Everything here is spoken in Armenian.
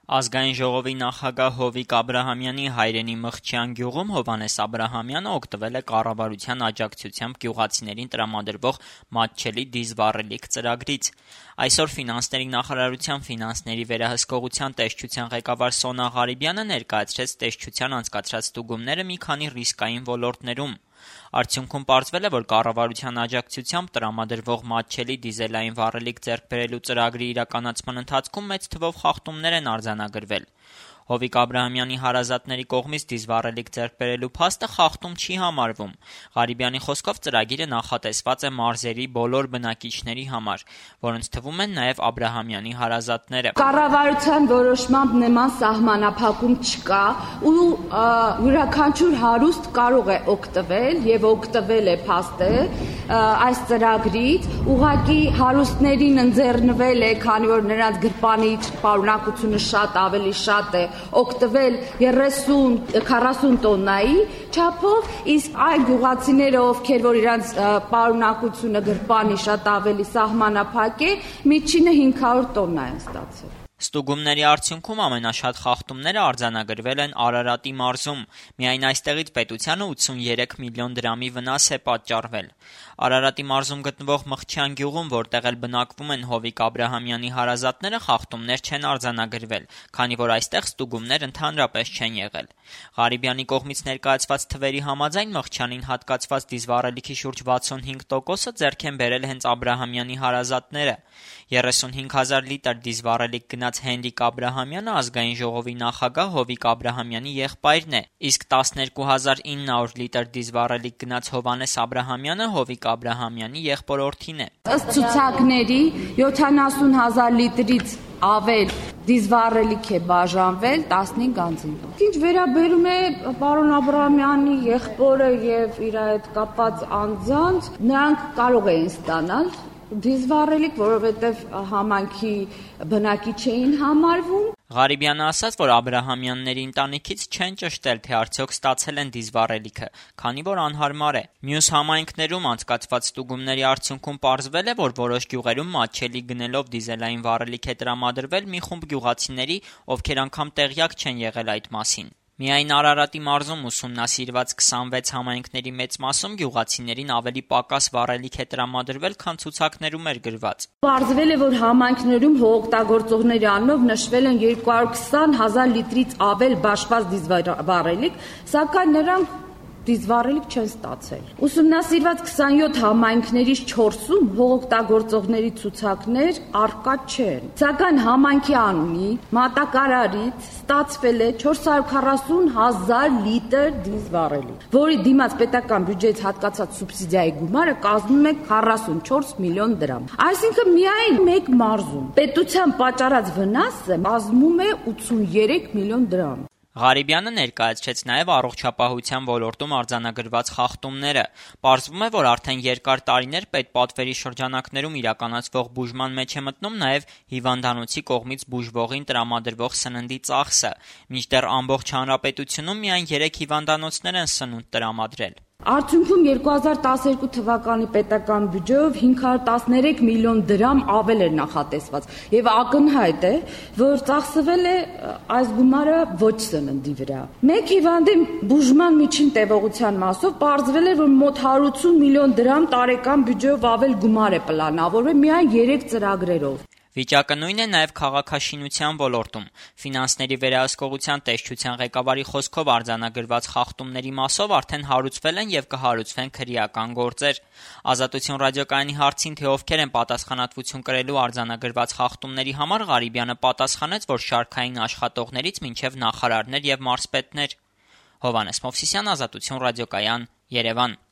Ազգային ժողովի նախագահ Հովիկ Աբրահամյանի հայրենի Մխչյան գյուղում Հովհաննես Աբրահամյանը օգտվել է կառավարության աջակցությամբ գյուղացիներին տրամադրվող մատչելի դիզվառելիք ծրագրից։ Այսօր Ֆինանսների նախարարության ֆինանսների վերահսկողության տեսչության ղեկավար Սոնա Ղարիբյանը ներկայացրեց տեսչության անցկացրած ստուգումները մի քանի ռիսկային ոլորտներում։ Արդյունքում պարզվել է, որ կառավարության աջակցությամբ տրամադրվող մատչելի դիզելային վառելիք ձեռք բերելու ծրագրի իրականացման ընթացքում մեծ թվով խախտումներ են արձանագրվել։ Հովիկ Աբրահամյանի հարազատների կողմից դիզվառելիք ձեռք բերելու փաստը խախտում չի համարվում։ Ղարիբյանի խոսքով ծրագիրը նախատեսված է մարզերի բոլոր բնակիչների համար, որոնց թվում են նաև Աբրահամյանի հարազատները։ Կառավարության որոշմամբ նման սահմանափակում չկա ու յուրաքանչյուր հարուստ կարող է օգտվել եւ օգտվել է փաստը այս ծրագրից, ուղղակի հարուստներին ընձեռնվել է, քանի որ նրանց գրպանի պարունակությունը ավելի շատ է, օգտվել 30-40 տոննայի չափով, իսկ այն գյուղացիները, ովքեր որ իրանց պարունակությունը գրպանի շատ ավելի սահմանափակ է, միջինը 500 տոննա են ստացել։ Ստուգումների արդյունքում ամենաշատ խախտումները արձանագրվել են Արարատի մարզում։ Միայն այստեղից պետությանը 83 միլիոն դրամի վնաս է պատճառվել։ Արարատի մարզում գտնվող Մխչյան գյուղում, որտեղ էլ բնակվում են Հովիկ Աբրահամյանի հարազատները, խախտումներ չեն արձանագրվել, քանի որ այստեղ ստուգումներ ընդհանրապես չեն եղել։ Ղարիբյանի կողմից ներկայացված թվերի համաձայն Մխչյանին հատկացված դիզվառելիքի շուրջ 65%-ը ձեռք են բերել հենց Աբրահամյանի հարազատները։ 35,000 լիտր դիզվառելիք գնաց Հենրիկ Աբրահամյանը ազգային ժողովի նախագահ Հովիկ Աբրահամյանի եղբայրն է, իսկ 12,900 լիտր դիզվառելիք գնաց Հովհաննես Աբրահամյանը Հովիկ Աբրահամյանի եղբորորդին է։ Ըստ ցուցակների 70,000 լիտրից ավել դիզվառելիք է բաժանվել 15 անձին։ Ինչ վերաբերում է պարոն Աբրահամյանի եղբորը եւ իր հետ կապված անձանց, նրանք կարող էին ստանալ դիզվառելիք, որովհետև համայնքի բնակիչ էին համարվում։ Ղարիբյանը ասաց, որ Աբրահամյանների ընտանիքից չեն ճշտել, թե արդյոք ստացել են դիզվառելիքը, քանի որ անհարմար է։ Մյուս համայնքներում անցկացված ստուգումների արդյունքում պարզվել է, որ որոշ գյուղերում մատչելի գնելով դիզելային վառելիք է տրամադրվել մի խումբ գյուղացիների, ովքեր անգամ տեղյակ չեն եղել այդ մասին։ Միայն Արարատի մարզում ուսումնասիրված 26 համայնքների մեծ մասում գյուղացիներին ավելի պակաս վառելիք է տրամադրվել, քան ցուցակներում էր գրված։ Պարզվել է, որ համայնքներում հողօգտագործողների անունով նշվել են 220,000 լիտրից ավել բաշխված դիզվառելիք, սակայն նրանք դիզվառելիք չեն ստացել։ Ուսումնասիրված 27 համայնքներից 4-ում հողօգտագործողների ցուցակներ առկա չեն։ Սակայն համայնքի անունի մատակարարից ստացվել է 440,000 լիտր դիզվառելիք, որի դիմաց պետական բյուջեից հատկացած սուբսիդիայի գումարը կազմում է 44 միլիոն դրամ։ Այսինքն միայն մեկ մարզում պետության պատճառած վնասը կազմում է 83 միլիոն դրամ։ Ղարիբյանը ներկայացրեց նաև առողջապահության ոլորտում արձանագրված խախտումները։ Պարզվում է, որ արդեն երկար տարիներ պետպատվերի շրջանակներում իրականացվող բուժման մեջ է մտնում նաև հիվանդանոցի կողմից բուժվողին տրամադրվող սննդի ծախսը, մինչդեռ ամբողջ հանրապետությունում միայն 3 հիվանդանոցներ են սնունդ տրամադրել։ Արդյունքում 2012 թվականի պետական բյուջեով 513 միլիոն դրամ ավել էր նախատեսված եւ ակնհայտ է, որ ծախսվել է այս գումարը ոչ սննդի վրա։ Մեկ հիվանդի բուժման միջին տևողության մասով պարզվել է, որ մոտ 180 միլիոն դրամ տարեկան բյուջեով ավել գումար է պլանավորվել միայն 3 ծրագրերով։ Վիճակը նույնն է նաև քաղաքաշինության ոլորտում։ Ֆինանսների վերահսկողության տեսչության ղեկավարի խոսքով արձանագրված խախտումների մասով արդեն հարուցվել են եւ կհարուցվեն քրեական գործեր։ Ազատություն ռադիոկայանի հարցին, թե ովքեր են պատասխանատվություն կրելու արձանագրված խախտումների համար, Ղարիբյանը պատասխանեց, որ շարքային աշխատողներից մինչև նախարարներ եւ մարզպետներ։ Հովհաննես Մովսիսյան, Ազատություն ռադիոկայան, Երևան։